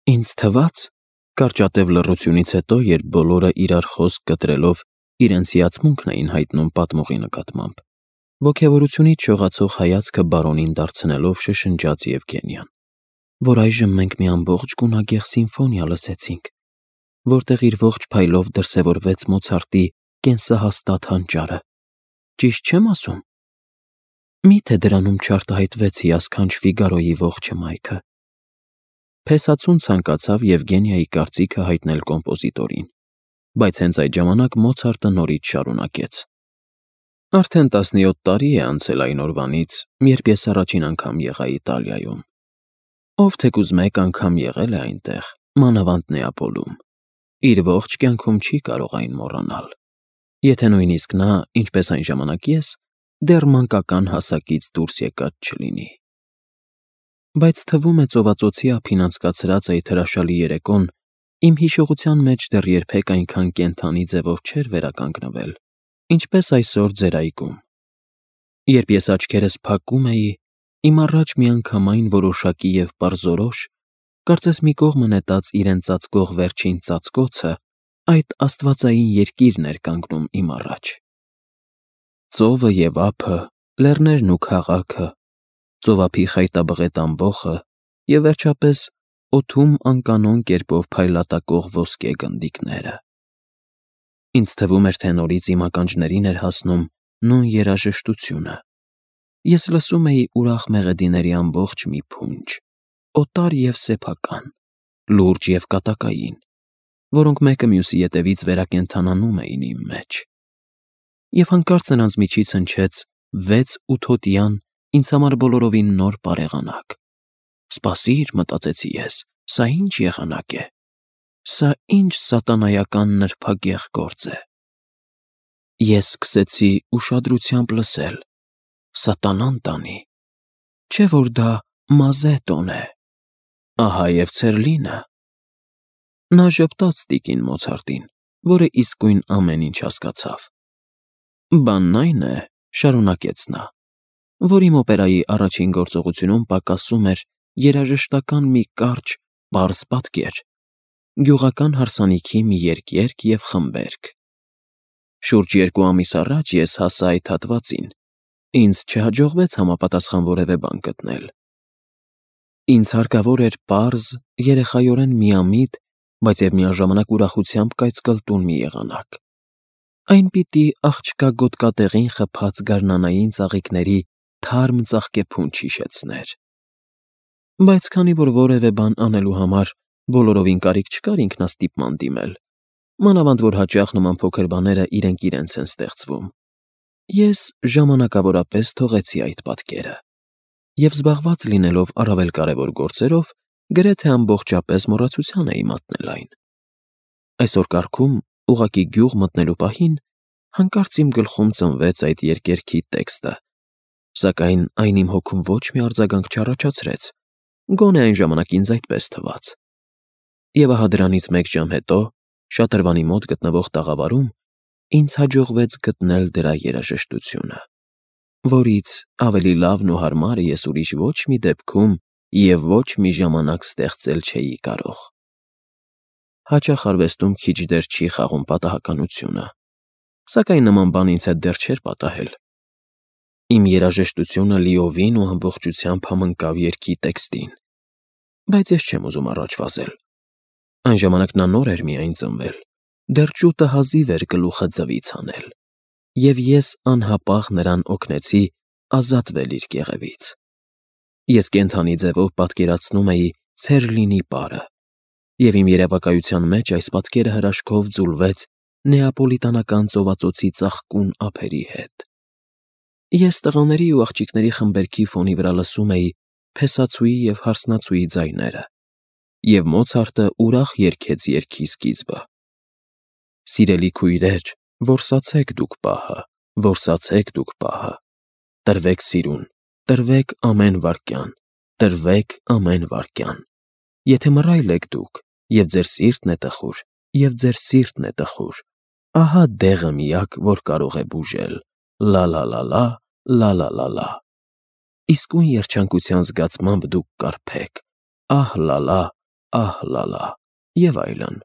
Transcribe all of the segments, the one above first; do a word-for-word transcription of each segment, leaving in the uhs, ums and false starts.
Ինձ թվաց, կարճատև լռությունից հետո, երբ բոլորը իրար խոսք կտրելով իրենց հիացմունքն էին հայտնում պատմողի նկատմամբ, ոգևորությունից շողացող հայացքը բարոնին դարձնելով շշնջաց Եվգենիան, որ այժմ մենք մի ամբողջ գունագեղ սիմֆոնիա լսեցինք, որտեղ իր ողջ փայլով դրսևորվեց Մոցարտի կենսահաստատ հանճարը, ճիշտ չեմ ասում։ Մի՞թե դրանում չարտահայտվեց հիասքանչ Ֆիգարոյի ողջ հմայքը։ Փեսացուն ցանկացավ Եվգենիայի կարծիքը հայտնել կոմպոզիտորին, բայց հենց այդ ժամանակ Մոցարտը նորից շարունակեց. Արդեն տասնյոթ տարի է անցել այն օրվանից, երբ ես առաջին անգամ եղա Իտալիայում։ Ով թեկուզ մեկ անգամ եղել է այնտեղ, մանավանդ Նեապոլում, իր ողջ կյանքում չի կարող այն մոռանալ, եթե նույնիսկ նա, ինչպես այն ժամանակ ես, դեռ մանկական հասակից դուրս եկած չլինի։ Բայց թվում է ծովածոցի ափին անցկացրած այդ հրաշալի երեկոն իմ հիշողության մեջ դեռ երբեք այնքան կենդանի ձևով չէր վերականգնվել, ինչպես այսօր ձեր այգում։ Երբ ես աչքերս փակում էի, իմ առաջ միանգամայն որոշակի և պարզորոշ, կարծես մի կողմը նետած իրեն ծածկող վերջին ծածկոցը, այդ աստվածային երկիրն էր կանգնում իմ առաջ։ Ծովը և ափը, լեռներն ու քաղաքը, ծովափի խայտաբղետ ամբոխը և վերջապես օդում անկանոն կերպով փայլատակող ոսկե գնդիկները։ Ինձ թվում էր, թե նորից իմ ականջներին էր հասնում նույն երաժշտությունը։ Ես լսում էի ուրախ մեղեդիների ամբողջ մի փունջ, օտար և սեփական, լուրջ և կատակային, որոնք մեկը մյուսի ետևից վերակենդանանում էին իմ մեջ։ Եվ հանկարծ նրանց միջից հնչեց վեց ութոտյան, ինձ համար բոլորովին նոր պարեղանակ։ Սպասիր, մտածեցի ես, սա ի՞նչ եղանակ է։ Սա ի՞նչ սատանայական նրբագեղ գործ է։ Ես սկսեցի ուշադրությամբ լսել. սատանան տանի, չէ՞ որ դա Մազետոն է, ահա և Ցերլինը։ Նա ժպտաց տիկին Մոցարտին, որը իսկույն ամեն ինչ հասկացավ։ Բանն այն է, շարունակեց նա, որ իմ օպերայի առաջին գործողությունում պակասում էր երաժշտական մի կարճ, պարզ պատկեր, գյուղական հարսանիքի մի երգերգ և խմբերգ։ Շուրջ երկու ամիս առաջ ես հասա այդ հատվածին, ինձ չհաջողվեց համապատասխան որևէ բան գտնել։ Ինձ հարկավոր էր պարզ, երեխայորեն միամիտ, բայց և միաժամանակ ուրախությամբ կայծկլտուն մի եղանակ։ Այն պիտի աղջկա գոտկատեղին խփած գարնանային ծաղիկների թարմ ծաղկեփունջ հիշեցներ։ Բայց քանի որ որևէ բան անելու համար բոլորովին կարիք չկար ինքնաստիպման դիմել, մանավանդ որ հաճախ նման փոքր բաները իրենք իրենց են ստեղծվում, ես ժամանակավորապես թողեցի այդ պատկերը և զբաղված լինելով առավել կարևոր գործերով, գրեթե ամբողջապես մոռացության էի մատնել այն։ Այսօր կարգում, ուղղակի գյուղ մտնելու պահին, հանկարծ իմ գլխում ծնվեց այդ երգերգի տեքստը, սակայն այն իմ հոգում ոչ մի արձագանք չառաջացրեց, գոնե այն ժամանակ ինձ այդպես թվաց։ Եվ ահա դրանից մեկ ժամ հետո, շատրվանի մոտ գտնվող տաղավարում, ինձ հաջողվեց գտնել դրա երաժշտությունը, որից ավելի լավն ու հարմարը ես ուրիշ ոչ մի դեպքում և ոչ մի ժամանակ ստեղծել չէի կարող։ Հաճախ արվեստում քիչ դեր չի խաղում պատահականությունը, սակայն նման բան ինձ հետ դեռ չէր պատահել։ Իմ երաժշտությունը լիովին ու ամբողջությամբ համընկավ երգի տեքստին, բայց ես չեմ ուզում առաջ վազել։ Այն ժամանակ նա նոր էր միայն ծնվել, դեռ ճուտը հազիվ էր գլուխը ձվից հանել, և ես անհապաղ նրան օգնեցի ազատվել իր կեղևից։ Ես կենդանի ձևով պատկերացնում էի Ցերլինի պարը, և իմ երևակայության մեջ այս պատկերը հրաշքով ձուլվեց նեապոլիտանական ծովածոցի ծաղկուն ափերի հետ։ Ես տղաների ու աղջիկների խմբերգի ֆոնի վրա լսում էի փեսացուի և հարսնացուի ձայները, և Մոցարտը ուրախ երգեց երգի սկիզբը. Սիրելի քույրեր, որսացեք դուք պահը, որսացեք դուք պահը, տրվեք սիրուն, տրվեք ամեն վայրկյան, տրվեք ամեն վայրկյան, եթե մռայլ եք դուք, և ձեր սիրտն է տխուր, և ձեր սիրտն է տխուր, ահա դեղը միակ, որ կարող է բուժել, լա՛֊լա՛֊լա՛, լա՛֊լա՛֊լա՛։ Իսկույն երջանկության զգացմամբ դուք կարբեք, ահ լալա, ահ֊լալա և այլն։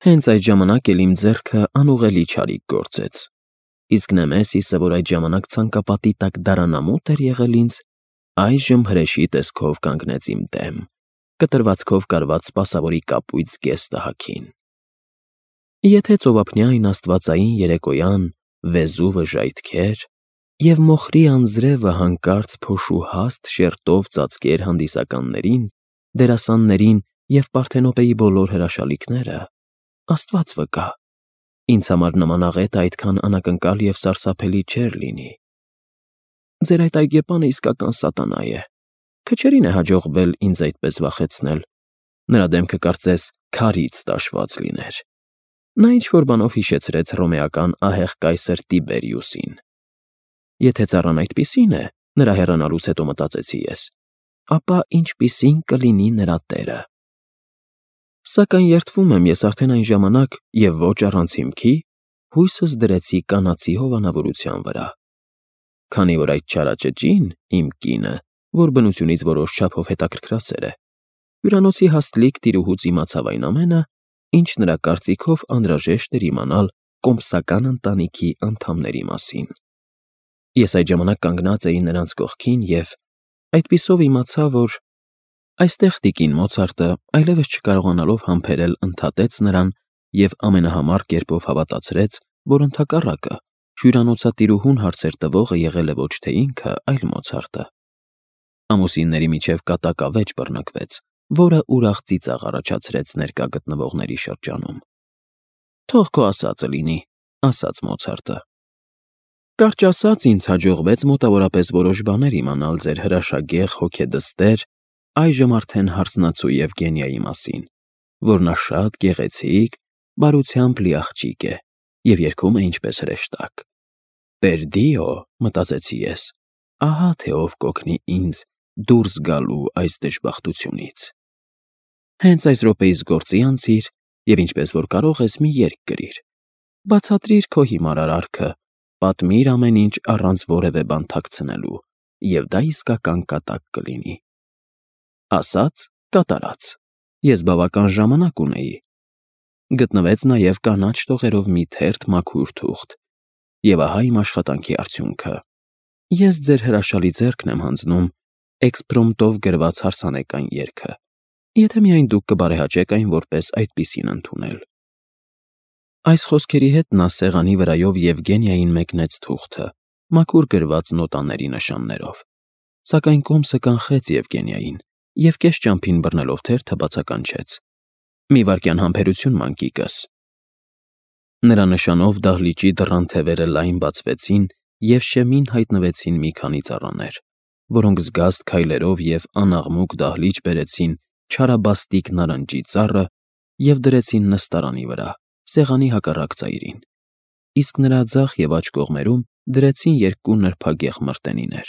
Հենց այդ ժամանակ էլ իմ ձեռքը անուղղելի չարիք գործեց, իսկ Նեմեսիսը, որ այդ ժամանակ ցանկապատի տակ դարանամուտ էր եղել ինձ, այժմ հրեշի տեսքով կանգնեց իմ դեմ, կտրվածքով կարված սպասավորի կապույտ զգեստը հագին։ Եթե ծովափնյա այն աստվածային երեկոյան Վեզուվը ժայթքեր, և մոխրի անձրևը հանկարծ փոշու հաստ շերտով ծածկեր հանդիսականներին, դերասաններին և Պարթենոպեի բոլոր հրաշալիքները, Աստված վկա, ինձ համար նման աղետը այդքան անակնկալ և սարսափելի չէր լինի։ Ձեր այդ այգեպանը իսկական սատանա է, քչերին է հաջողվել ինձ այդպես վախեցնել, նրա դեմքը կարծես քարից տաշված լիներ։ Նա ինչ-որ բանով հիշեցրեց հռոմեական ահեղ կայսր Տիբերիուսին։ Եթե ծառան այդպիսին է, նրա հեռանալուց հետո մտածեցի ես, ապա ինչպիսին կլինի նրա տերը։ Սակայն երդվում եմ ես արդեն այն ժամանակ և ոչ առանց հիմքի հույսս դրեցի կանացի հովանավորության վրա։ Քանի որ այդ չարաճճին, իմ կինը, որ բնությունից որոշ չափով հետաքրքրասեր է, հյուրանոցի հաստլիկ տիրուհուց իմացավ այն ամենը, ինչ նրա կարծիքով անհրաժեշտ էր իմանալ կոմսական ընտանիքի անդամների մասին։ Ես այդ ժամանակ կանգնած էի նրանց կողքին և այդպիսով իմացա, որ այստեղ տիկին Մոցարտը, այլևս չկարողանալով համբերել, ընդհատեց նրան և ամենահամառ կերպով հավատացրեց, որ ընդհակառակը, հյուրանոցատիրուհուն հարցեր տվողը եղել է ոչ թե ինքը, այլ Մոցարտը։ Ամուսինների միջև կատակ ավեճ բռնկվեց, որը ուրախ ծիծաղ առաջացրեց ներկա գտնվողների շրջանում։ «Թող քո ասածը լինի», ասաց Մոցարտը։ Կարճ ասած, ինձ հաջողվեց մոտավորապես որոշ բաներ իմանալ ձեր հրաշագեղ հոգեդստեր, այժմ արդեն հարսնացու Եվգենիայի մասին, որ նա շատ գեղեցիկ, բարությամբ լի աղջիկ է և երգում է ինչպես հրեշտակ։ «Պերդիո», մտածեցի ես, ահա թե ով կօգնի ինձ դուրս գալու այս դժբախտությունից։ Հենց այս րոպեիս գործի անցիր և ինչպես որ կարող ես մի երգ գրիր։ Բացատրիր քո հիմար արարքը, պատմիր ամեն ինչ առանց որևէ բան թաքցնելու, և դա իսկական կատակ կլինի։ Ասաց, կատարած։ Ես բավական ժամանակ ունեի։ Գտնվեց նաև կանաչ տողերով մի թերթ մաքուր թուղթ, և ահա իմ աշխատանքի արդյունքը։ Ես ձեր հրաշալի ձեռքն եմ հանձնում էքսպրոմտով գրված հարսանեկան երգը, եթե միայն դուք կբարեհաճեք այն որպես այդպիսին ընդունել։ Այս խոսքերի հետ նա սեղանի վրայով Եվգենիային մեկնեց թուղթը, մաքուր գրված նոտաների նշաններով, սակայն կոմսը կանխեց Եվգենիային և կես ճամփին բռնելով թերթը բացականչեց. «Մի վայրկյան համբերություն, մանկիկս»։ Նրա նշանով դահլիճի դռան թևերը լայն բացվեցին և շեմին հայտնվեցին մի քանի ծառաներ, որոնք զգաստ քայլերով և անաղմուկ դահլիճ բերեցին չարաբաստիկ նարնջի ծառը և դրեցին նստարանի վրա, սեղանի հակառակ ծայրին, իսկ նրա ձախ և աջ կողմերում դրեցին երկու նրբագեղ մրտենիներ։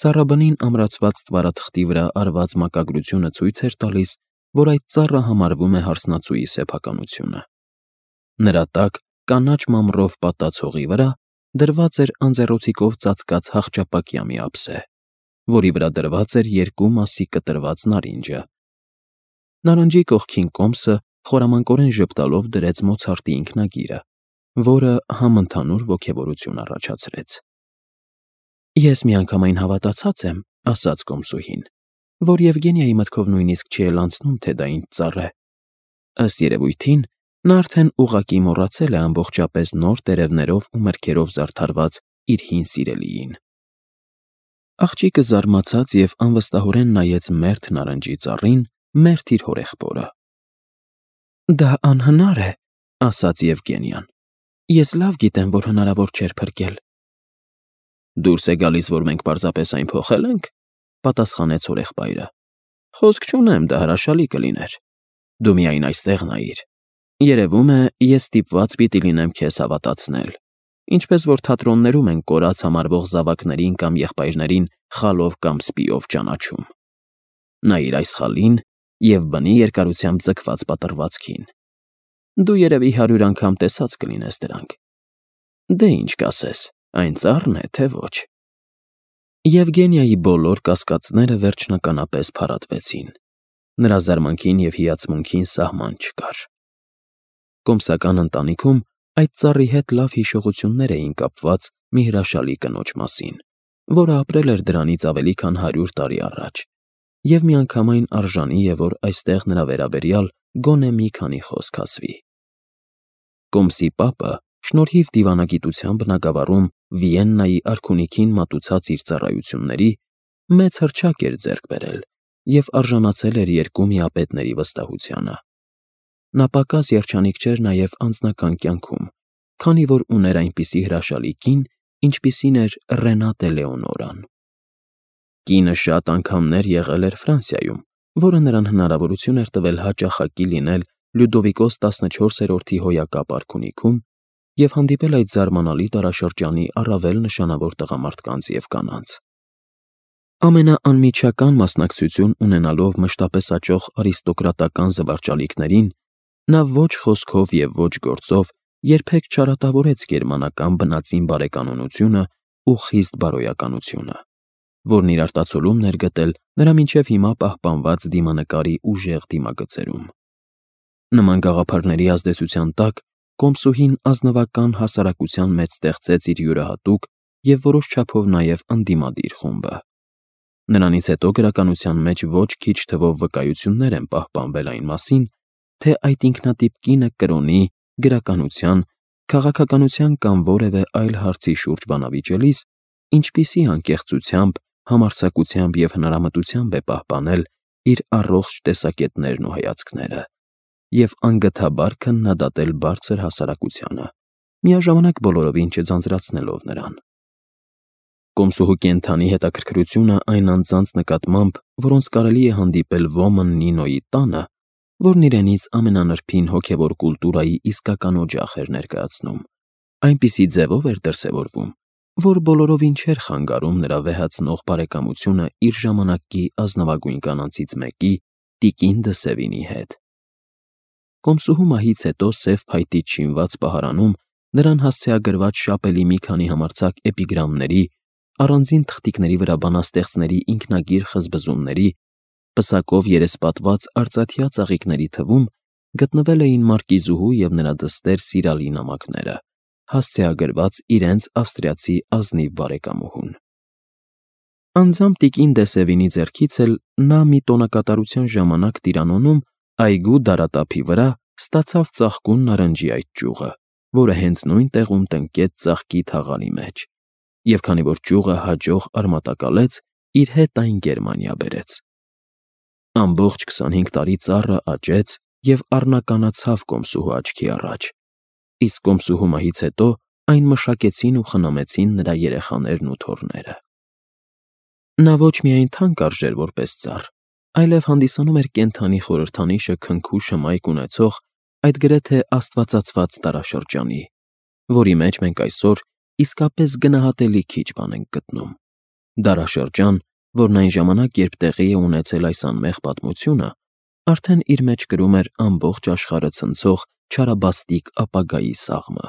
Ծառաբնին ամրացված ստվարաթղթի վրա արված մակագրությունը ցույց էր տալիս, որ այդ ծառը համարվում է հարսնացուի սեփականությունը։ Նրա տակ, կանաչ մամռով պատած հողի վրա, դրված էր անձեռոցիկով ծածկած հախճապակյա մի ափսե, որի վրա դրված էր երկու մասի կտրված նարինջը։ Նարնջի կողքին կոմսը խորամանկորեն ժպտալով դրեց Մոցարտի ինքնագիրը, որը համընդհանուր ոգևորություն առաջացրեց։ Ես միանգամայն հավատացած եմ, ասաց կոմսուհին, որ Եվգենիայի մտքով նույնիսկ չի էլ անցնում, թե դա ինչ ծառ է։ Ըստ երևույթին, նա արդեն ուղղակի մոռացել է ամբողջապես նոր տերևներով ու մրգերով զարդարված իր հին սիրելիին։ Աղջիկը զարմացած և անվստահորեն նայեց մերթ նարնջի ծառին, մերթ իր հորեղբորը։ Դա անհնար է, ասաց Եվգենիան։ Ես լավ գիտեմ, որ հնարավոր չէր փրկել։ Դուրս է գալիս, որ մենք պարզապես այն փոխել ենք, պատասխանեց հորեղբայրը։ Խոսք չունեմ, դա հրաշալի կլիներ։ Դու միայն այստեղ նայիր։ Երևում է, ես ստիպված պիտի լինեմ քեզ հավատացնել, ինչպես որ թատրոններում են կորած համարվող զավակներին կամ եղբայրներին խալով կամ սպիով ճանաչում։ Նայիր այս խալին և բնի երկարությամբ ձգված պատռվածքին։ Դու երևի հարյուր անգամ տեսած կլինես դրանք։ Դե ինչ կասես, այն ծառն է, թե ոչ։ Եվգենիայի բոլոր կասկածները վերջնականապես փարատվեցին։ Նրա զարմանքին և հիացմունքին սահման չկար։ Կոմսական ընտանիքում այդ ծառի հետ լավ հիշողություններ էին կապված մի հրաշալի կնոջ մասին, որը ապրել էր դրանից ավելի քան հարյուր տարի առաջ, և միանգամայն արժանի է, որ այստեղ նրա վերաբերյալ գոնե մի քանի խոսք ասվի։ Կոմսի պապը, շնորհիվ դիվանագիտության բնագավառում Վիեննայի արքունիքին մատուցած իր ծառայությունների, մեծ հռչակ էր ձեռք բերել և արժանացել էր երկու միապետների վստահությանը։ Նա պակաս երջանիկ չէր նաև անձնական կյանքում, քանի որ ուներ այնպիսի հրաշալի կին, ինչպիսին էր Ռենատե Լեոնորան։ Կինը շատ անգամներ եղել էր Ֆրանսիայում, որը նրան հնարավորություն էր տվել հաճախակի լինել Լյուդովիկոս տասնչորսերորդի հոյակապ արքունիքում և հանդիպել այդ զարմանալի դարաշրջանի առավել նշանավոր տղամարդկանց և կանանց։ Ամենաանմիջական մասնակցություն ունենալով մշտապես աճող արիստոկրատական զվարճալիքներին, նա ոչ խոսքով և ոչ գործով երբեք չարատավորեց գերմանական բնածին բարեկանոնությունն ու խիստ բարոյականությունը, որն իր արտացոլումն էր գտել նրա մինչև հիմա պահպանված դիմանկարի ուժեղ դիմագծերում։ Նման գաղափարների ազդեցության տակ Կոմսուհին ազնվական հասարակության մեջ ստեղծեց իր յուրահատուկ և որոշ չափով նաև ընդդիմադիր խումբը։ Նրանից հետո գրականության մեջ ոչ քիչ թվով վկայություններ են պահպանվել այն մասին, թե այդ ինքնատիպ կինը կրոնի, գրականության, քաղաքականության կամ որևէ այլ հարցի շուրջ բանավիճելիս ինչպիսի անկեղծությամբ, համարձակությամբ և հնարամտությամբ է պահպանել իր առողջ տեսակետներն ու հայացքները և անգթաբար քննադատել բարձր հասարակությանը, միաժամանակ բոլորովին չձանձրացնելով նրան։ Կոմսուհու կենդանի հետաքրքրությունը այն անձանց նկատմամբ, որոնց կարելի է հանդիպել Ոմն Նինոյի տանը, որն իրենից ամենանրբին հոգևոր կուլտուրայի իսկական օջախ էր ներկայացնում, այնպիսի ձևով էր դրսևորվում, որ բոլորովին չէր խանգարում նրա վեհացնող բարեկամությունը իր ժամանակի ազնվագույն կանանցից մեկի՝ տիկին դը Սևինի հետ։ Կոմսուհու մահից հետո սև փայտից շինված պահարանում նրան հասցեագրված շապելի մի քանի համարձակ էպիգրամների, առանձին թղթիկների վրա բանաստեղծների ինքնագիր խզբզումների, պսակով երեսպատված արծաթյա ծաղիկների թվում գտնվել էին մարկիզուհու և նրա դստեր Սիրալի նամակները, հասցեագրված իրենց ավստրիացի ազնիվ բարեկամուհուն։ Անձամբ տիկին դը Սևինի ձեռքից էլ նա մի տոնակատարության ժամանակ Տիրանոնում այգու դարատափի վրա ստացավ ծաղկուն նարնջի այդ ճյուղը, որը հենց նույն տեղում տնկեց ծաղկի թաղարի մեջ, և քանի որ ճյուղը հաջող արմատակալեց, իր հետ այն Գերմանիա բերեց։ Ամբողջ քսանհինգ տարի ծառը աճեց և առնականացավ Կոմսուհու աչքի առաջ, իսկ Կոմսուհու մահից հետո այն մշակեցին ու խնամեցին նրա երեխաներն ու թոռները։ Նա ոչ միայն թանկ արժեր որպես ծառ, այլև հանդիսանում էր կենդանի խորհրդանիշը քնքու շմայք ունեցող այդ գրեթե աստվածացված դարաշրջանի, որի մեջ մենք այսօր իսկապես գնահատելի քիչ բան ենք գտնում։ Դարաշրջան, որն այն ժամանակ, երբ տեղի է ունեցել այս անմեղ պատմությունը, արդեն իր մեջ կրում էր ամբողջ աշխարհը ցնցող չարաբաստիկ ապագայի սաղմը։